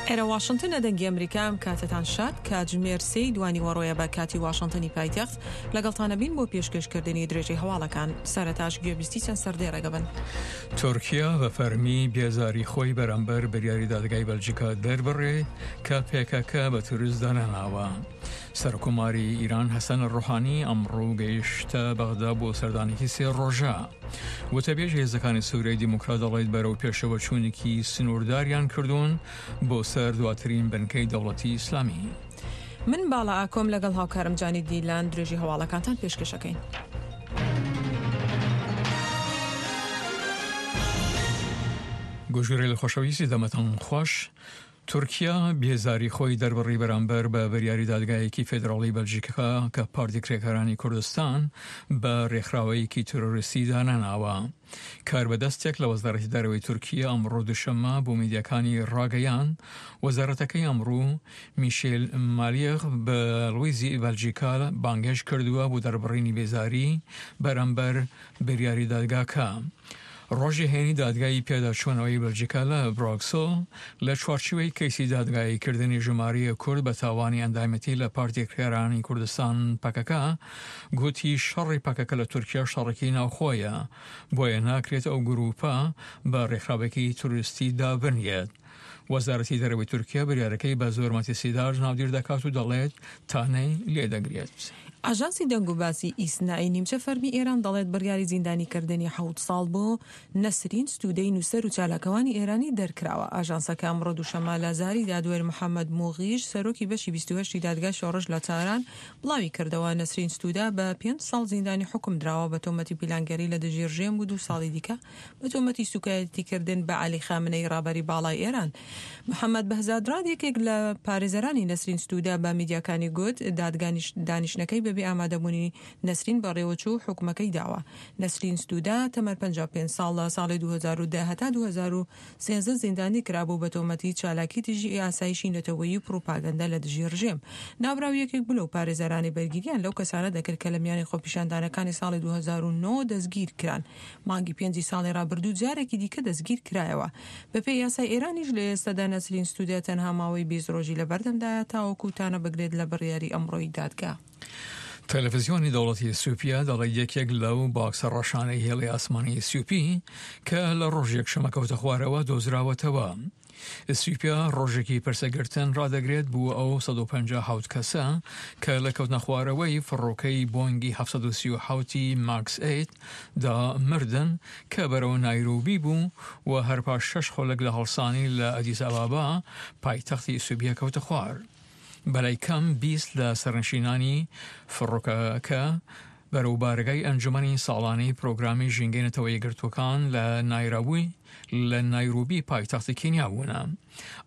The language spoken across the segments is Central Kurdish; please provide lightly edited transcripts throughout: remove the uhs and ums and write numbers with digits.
ئێرە واشنتنە دەنگی ئەمریکا ئەم کاتەتان شاد کاتژمێر سێی دوانیوەڕۆیە بە کاتی واشنتنی پایتەخت لەگەڵتانە بین بۆ پێشکەشکردنی درێژەی هەواڵەکان سەرەتاش گوێبیستی چەند سەردێڕێک بن. تورکیا بە فەرمی بێزاری خۆی بەرامبەر بریاری دادگای بەلجیکا دەربڕێ کە پێکەکە بە تورست دانەناوە. سەرکۆماری ئیران حەسەن ڕۆحانی ئەمڕۆ گەیشتە بەغدا بۆ سەردانێکی سێ ڕۆژە. وتەبێژی هێزەکانی سوریای دیموکرات دەڵێت بەرەو پێشەوە چوونێکی سنوورداریان کردوون بۆ سەر دواترین بنکەی دەوڵەتی ئیسلامی. من باڵا ئاکۆم لەگەڵ هاوکارم جانی دیلان درێژی هەواڵەکانتان پێشکەش ئەکەین. گوژگرەیل خۆشەویستی دەمتان خوەش. تورکیا بێزاری خۆی دەربڕی بەرامبەر بە بریاری دادگایەکی فیدراڵی بەلجیکا کە پارتی کرێکارانی کوردستان بە رێکخراوەیەکی تیرۆریستی دانەناوە. کاربەدەستێک لە وەزارەتی دەرەوەی تورکیا ئەمڕۆ دوشەممە بۆ میدیاکانی راگەیاند، وەزارەتەکەی ئەمڕۆ میشێل مالیغ باڵوێزی بەلجیکا بانگهێشت کردووە بۆ دەربڕینی بێزاری بەرامبەر بریاری دادگاکە. ڕۆژی هەینی دادگای پێداچوونەوەی بەلجیکا لە برۆکسل لە چوارچیوەی کەیسی دادگاییکردنی ژمارەیەک کورد بە تاوانی ئەندامێتی لە پارتی کرێکارانی کوردستان پەکەکە گوتی شەڕی پەکەکە لە تورکیا شەڕێکی ناوخۆیە بۆیە ناکرێت ئەو گرووپە بە ڕێکخراوێکی تروریستی دابنرێت. وەزارەتی دەرەوەی تورکیا بریارەکەی بە زۆر مەترسیدار ناودیر دەکات و دەڵێت تانەی لێدەگرێت. ئاژانسی دەنگوباسی ئیسنا'ی نیمچە فەرمی ئێران دەڵێت بڕیاری زیندانیکردنی حەوت ساڵ بۆ نەسرین ستوودەی نووسەر و چالاکوانی ئێرانی دەرکراوە. ئاژانسەکە ئەمڕۆ دووشەممە لە زاری دادوەر محەمەد موغیش سەرۆکی بەشی 28 ی دادگای شۆڕش لە تاران بڵاوی کردەوە، نەسرین ستوودە بە پێنج ساڵ زیندانی حوکم دراوە بە تۆمەتی پیلانگێڕی لە دژی ڕژێم و دوو ساڵی دیکە بە تۆمەتی سوکایەتیکردن بە عەلی خامنەیی ڕابەری باڵای ئێران. محەمەد بەهزادراد یەکێک لە پارێزەرانی نەسرین ستوودە بە میدیاکانی گوت، دادگا دانیشتنەکەی بەبێ ئامادەبوونی نەسرین بەڕێوەچوو و حوکمەکەی داوە. نەسرین ستوودە تەمەن 55 ساڵ لە ساڵی 2010 هەتا 2013 زیندانی کرابوو بە تۆمەتی چالاکی دژی ئاسایشی نەتەوەیی و پڕوپاگەندە لە دژی ڕژێم. ناوبراو یەکێک بوو لەو پارێزەرانەی بەرگرییان لەو کەسانە دەکرد کە لە میانی خۆپیشاندانەکانی ساڵی 2009 دەستگیر کران. مانگی پێنجی ساڵی رابردوو جارێکی دیکە دەستگیر کرایەوە. بەپێی یاسای ئێرانیش لە ئێستادا نەسرین ستودە تەنها ماوەی 20 رۆژی لەبەردەمدایە تاوەکو تانە بگرێت لە بڕیاری ئەمڕۆی دادگا. تەلەفزیۆنی دەوڵەتی ئیسیوپیا دەڵێت یەکێک لەو باکسە ڕەشانەی هێڵی ئاسمانی ئیسیوپی کە لە ڕۆژی یەکشەممە کەوتە خوارەوە دۆزراوەتەوە. ئیسیوپیا ڕۆژێکی پرسەگرتن ڕادەگرێت بۆ ئەو 157 کەسە کە لە کەوتنەخوارەوەی فڕۆکەی بۆینگی 737 ی ماکس ئەیت دا مردن کە بەرەو نایرۆبی بوو و هەر پاش شەش خولەک لە هەڵسانی لە ئەدیس ئەبابا پایتەختی ئیسیوپیا کەوتە خوار. بەلای کەم 20 لە سەرنشینانی فڕۆکەکە بەرەو بارەگای ئەنجومەنی ساڵانەی پرۆگرامی ژینگەی نەتەوە یەکگرتووەکان لە نایرابوی لە نایرۆبی پایتەختی کینیا بوونە.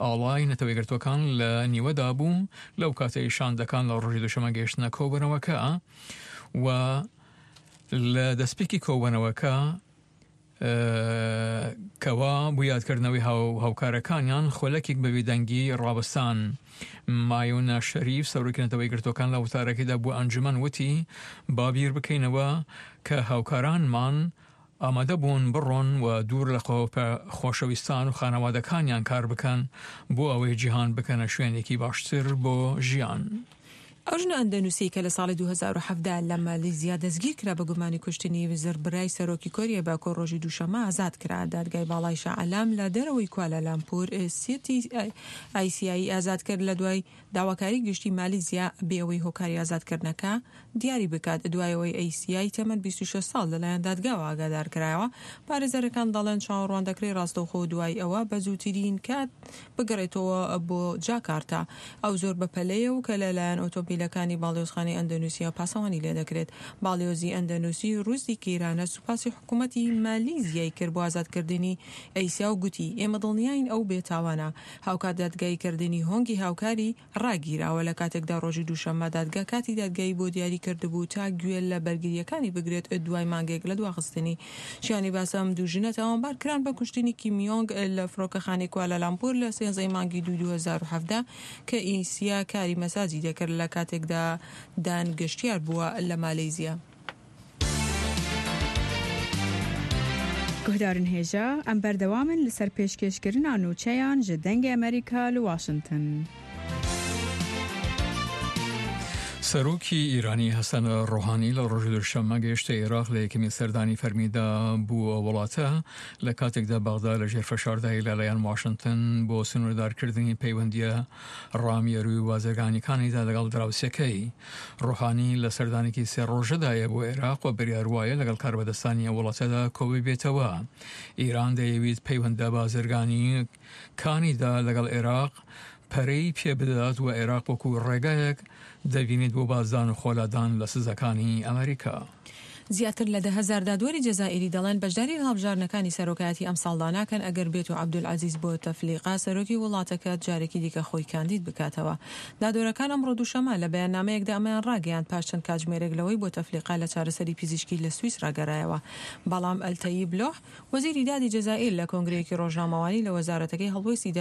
ئاڵای نەتەوە یەکگرتووەکان لە نیوەدا بوو لەو کاتەی شاندەکان لە ڕۆژی دووشەممە گەیشتنە کۆبوونەوەکە و لە دەستپێکی کۆبوونەوەکە کەوا بۆ یادکردنەوەی هاوکارەکانیان خولەکێک بە بێدەنگی ڕاوەستان. مایۆنا شەریف سەرۆکی نەتەوە یەکگرتووەکان لە وتارەکەیدا بۆ ئەنجومەن وتی، با بیر بکەینەوە کە هاوکارانمان ئامادە بوون بڕۆن و دوور لە خۆشەویستان و خانەوادەکانیان کار بکەن بۆ ئەوەی جیهان بکەنە شوێنێکی باشتر بۆ ژیان. ئەو ژنە ئەندەنوسیەی کە لە ساڵی 2017 لە مالیزیا دەستگیرکرا بە گومانی کوشتنی زڕبرای سەرۆکی کۆریای باکوور ڕۆژی دووشەممە ئازاد کرا. دادگای باڵای شا عەلام لە دەرەوەی کوالالامپور سیتی ئایسیایی ئازاد کرد لە دوای داواکاری گشتی مالیزیا بێ ئەوەی هۆکاری ئازادکردنەکە دیاری بکات. دوای ئەوەی ئەیسیای تەمەن 26 ساڵ لەلایەن دادگاوە ئاگادار کرایەوە، پارێزەرەکان دەڵێن چاوەڕوان دەکرێت ڕاستەوخۆ دوای ئەوە بە زووترین کات بگەڕێتەوە بۆ جاکارتا. ئەو زۆر بەپەلەیە و کە لە لایەن ئۆتۆمبیلەکانی باڵیۆزخانەی ئەندەنوسیا پاسەوانی لێدەکرێت. باڵیۆزی ئەندەنوسی روزدی کیرانە سوپاسی حکومەتی مالیزیای کرد بۆ ئازادکردنی ئەیسیا و گوتی، ئێمە دڵنیاین ئەو بێتاوانە. هاوکات دادگاییکردنی هۆنگی هاوکاری ڕاگیراوە لە کاتێکدا ڕۆژی دووشەممە دادگا کاتی دادگایی بۆ دیاری کردبوو تا گوێ لە بەرگرییەکانی بگرێت دوای مانگێک لە دواخستنی. شیانی باسە ئەم دوو ژنە تاوانبار کران بە کوشتنی کیم یۆنگ لە فڕۆکەخانەی کوالالامپور لە سێزدە ی مانگی دووی 2017 کە ئیسیا کاری مەساجی دەکرد لە کاتێکدا دان گەشتیار بووە لە مالەیزیا. Guhdarên hêja, em berdewam in li ser pêşkêşkirina nûçeyan ji Dengê Amerîka li Washington. سەرۆکی ئیرانی حەسەن ڕۆحانی لە ڕۆژی دووشەممە گەیشتە ئێراق لە یەکەمین سەردانی فەرمیدا بۆ ئەو وڵاتە لە کاتێکدا بەغدا لە ژێر فشاردای لەلایەن واشنتن بۆ سنووردارکردنی پەیوەندییە ڕامیاروی و بازرگانیەکانیدا لەگەڵ دراوسێکەی. ڕۆحانی لە سەردانێکی سێ ڕۆژەدایە بۆ ئێراق و بریار وایە لەگەڵ کاربەدەستانی ئەو وڵاتەدا کۆببێتەوە. ئیران دەیەویت پەیوەندە بازرگانی کانیدا لەگەڵ ئێراق پەرەی پێ بدات و ئێراق وەکو ڕێگایەک دەبینێت بۆ بازدان و خۆلادان لە سزاکانی ئەمریکا. زیاتر لە 10,000 دادوەری جەزائیری دەڵێن بەشداری لە هەڵبژاردنەکانی سەرۆکایەتی ئەمساڵدا ناکەن ئەگەر بێتو عەبدولعەزیز بوتەفلیقە سەرۆکی وڵاتەکە جارێکی دیکە خۆی کاندید بکاتەوە. دادوەرەکان ئەمڕۆ دووشەممە لە بەیاننامەیەکدا ئەمەیان ڕاگەیاند پاش چەند کاتژمێرێک لەوەی بوتەفلیقە لە چارەسەری پزیشکی لە سویسرا گەرایەوە. بەڵام ئەلتەیب لۆح وەزیری دادی جەزائیر لە کۆنگرەیەکی ڕۆژنامەوانی لە وەزارەتەکەی هەڵوێستی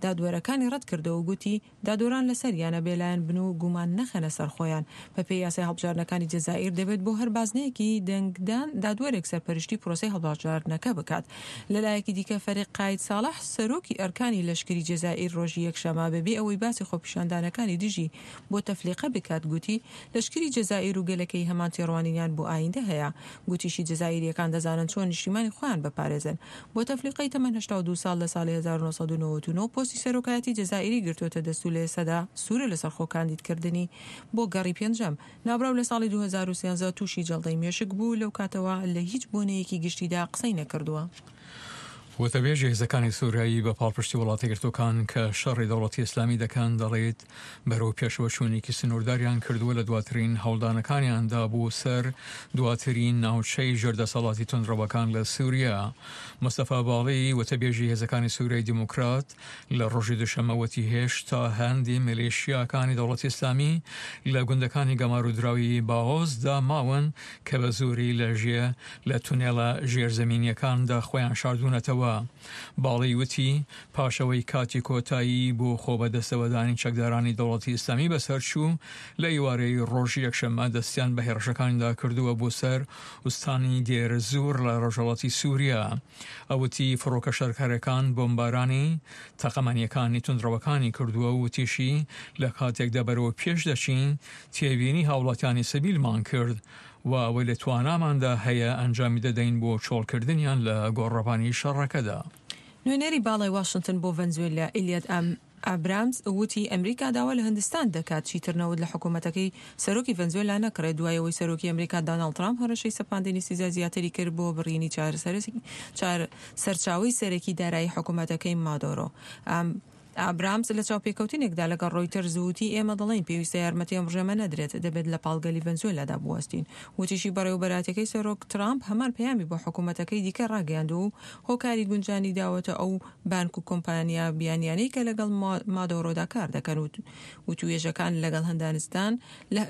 دادوەرەکانی ڕەتکردەوە و گوتی دادوەران لەسەریانە بێلایەن بن و گومان نەخەنە سەر خۆیان. بەپێی یاسای هەڵبژاردنەکانی جەزائیر دەبێت بۆ هەر بازنەیەکی دەنگدان دادوەرێک سەرپەرشتی پرۆسەی هەڵبژاردنەکە بکات. لەلایەکی دیکە فەریق قاید ساڵح سەرۆکی ئەرکانی لەشکری جەزائیر ڕۆژی یەکشەمە بەبێ ئەوەی باسی خۆپیشاندانەکانی دژی بوتەفلیقە بکات گوتی لەشکری جەزائیر و گەلەکەی هەمان تێڕوانینیان بۆ ئایندە هەیە. گوتیشی جەزائیرییەکان دەزانن چۆن نیشتیمانی خۆیان بپارێزن. بوتەفلیقەی تەمەن 82 ساڵ لە ساڵی 1999 پۆستی سەرۆکایەتی جەزائیری گرتووەتە دەست و لە ئێستادا سوورە لەسەر خۆکاندیدکردنی بۆ گەڕی پێنجەم. ناوبراو لە ساڵی 2013 تووشی جەڵدەی مێشک بوو، لەو کاتەوە لە هیچ بۆنەیەکی گشتیدا قسەی نەکردووە. وتەبێژی هێزەکانی سوریایی بە پاڵپشتی وڵاتە یەکگرتووەکان کە شەڕی دەوڵەتی ئیسلامی دەکەن دەڵێت بەرەو پێشەوەچوونێکی سنوورداریان کردووە لە دواترین هەوڵدانەکانیاندا بۆ سەر دواترین ناوچەی ژێر دەسەڵاتی توندڕەوەکان لە سوریا. مستەفا باڵی وتەبێژی هێزەکانی سوریای دیموکرات لە ڕۆژی دوشەممە وتی هێشتا هەندی میلیشیاکانی دەوڵەتی ئیسلامی لە گوندەکانی گەمارۆدراوی باغۆزدا ماون کە بە زۆری لە ژێ لە تونێڵە ژێرزەمینییەکاندا خۆیان شاردوونەتەوە. باڵی وتی، پاش ئەوەی کاتی کۆتایی بۆ خۆبەدەستەوەدانی چەکدارانی دەوڵەتی ئیسلامی بەسەرچوو، لە ئیوارەی ڕۆژی یەکشەممە دەستیان بە هێڕشەکانیدا کردووە بۆ سەر ئوستانی دێرزور لە ڕۆژهەڵاتی سوریا. ئەو وتی، فڕۆکە شەرکەرەکان بۆمبارانی تەقەمەنییەکانی توندڕەوەکانی کردووە و وتیشی، لە کاتێکدا بەرەو پێش دەچین، تێبینی هاوڵاتیانی سڤیلمان کرد و ئەوەی لە تواناماندا هەیە ئەنجامی دەدەین بۆ چۆڵکردنیان لە گۆڕەپانی شەڕەکەدا. نوێنەری باڵای واشنتن بۆ ڤەنزوێلا ئیلیەت ئابرامز وتی ئەمریکا داوا لە هندستان دەکات چیتر نەوت لە حکومەتەکەی سەرۆکی ڤەنزوێلا نەکڕێت دوای ئەوەی سەرۆکی ئەمریکا داناڵد ترامپ هەڕەشەی سەپاندنی سزای زیاتری کرد بۆ بڕینی سەرچاوەی سەرەکی دارایی حکومەتەکەی مادۆرۆ. ئابرامز لە چاوپێکەوتنێکدا لەگەڵ ڕۆیتەرز وتی، ئێمە دەڵێین پێویستە یارمەتی ئەم ڕژێمە نەدرێت، دەبێت لە پاڵ گەلی ڤەنزوێلادا بوەستین. وتیشی، بەڕێوەبەرایەتیەکەی سەرۆک ترامپ هەمان پەیامی بۆ حکومەتەکەی دیکە ڕاگەیاندووە و هۆکاری گونجانی داوەتە ئەو بانک و کۆمپانیا بیانیانەی کە لەگەڵ مادۆرۆدا کار دەکەن و وتوێژەکان لەگەڵ هندانستان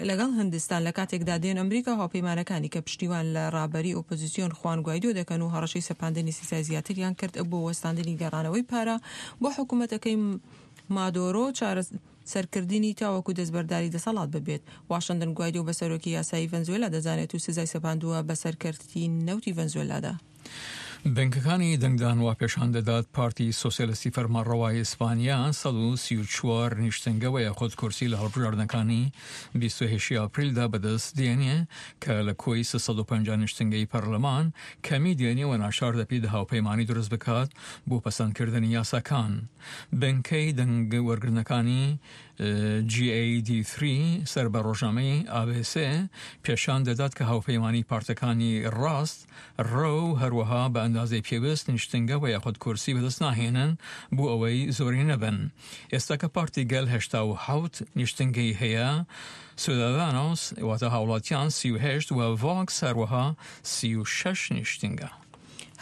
لەگەڵ هندستان لە کاتێکدا دێن ئەمریکا و هاوپەیمانەکانی کە پشتیوان لە ڕابەری ئۆپۆزیسیۆن خوان گوایدۆ دەکەن و هەڕەشەی سەپاندنی سزای زیاتریان کرد بۆ وەستاندنی گەڕانەوەی پارە بۆ حکومەتەکەی مادۆرۆ چارەسەرکردنی تاوەکو دەستبەرداری دەسەڵات ببێت. واشنتن گوایدۆ بە سەرۆکی یاسایی ڤەنزوێلا دەزانێت و سزای سەپاندووە بەسەر کەرتی نەوتی ڤەنزوێلادا. بنکەکانی دەنگدان وا پێشان دەدات پارتی سۆسیالیستی فەرمانڕەوای ئیسپانیا 134 نیشتنگە و یاخود کورسی لە هەڵبژاردنەکانی 28 ئاپریلدا بەدەست دێنێ کە لە کۆی 350 نیشتنگەی پەرلەمان کەمی دێنێ و ناچار دەبێت هاوپەیمانی دروست بکات بۆ پەسەندکردنی یاساکان. بنکەی دەنگ وەرگرتنەکانی GAD3 سەر بە ڕۆژنامەی ABC پێشان دەدات کە هاوپەیمانی پارتەکانی ڕاست ڕەو هەروەها بە ئەندازەی پێویست نیشتنگە و یاخود کورسی بەدەست ناهێنن بۆ ئەوەی زۆرینە بن. ئێستا کە پارتی گەل 87 نیشتنگەی هەیە، سودادانۆس واتە هاوڵاتیان 38 و ڤۆکس هەروەها 36 نیشتنگە.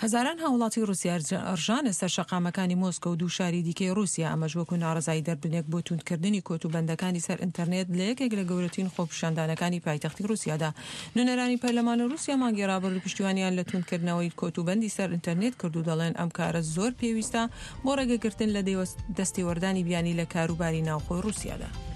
هەزاران هاوڵاتی ڕوسیا ڕژانە سەر شەقامەکانی مۆسکۆ و دوو شاری دیکەی ڕوسیا، ئەمەش وەکو ناڕەزایی دەربرینێک بۆ توندکردنی کۆتوبەندەکانی سەر ئینتەرنێت لە یەکێک لە گەورەترین خۆپیشاندانەکانی پایتەختی ڕوسیادا. نوێنەرانی پەرلەمانی ڕوسیا مانگی ڕابردوو پشتیوانیان لە توندکردنەوەی کۆتوبەندی سەر ئینتەرنێت کرد و دەڵێن ئەم کارە زۆر پێویستە بۆ ڕێگەگرتن لە دەستێوەردانی بیانی لە کاروباری ناوخۆی ڕوسیادا.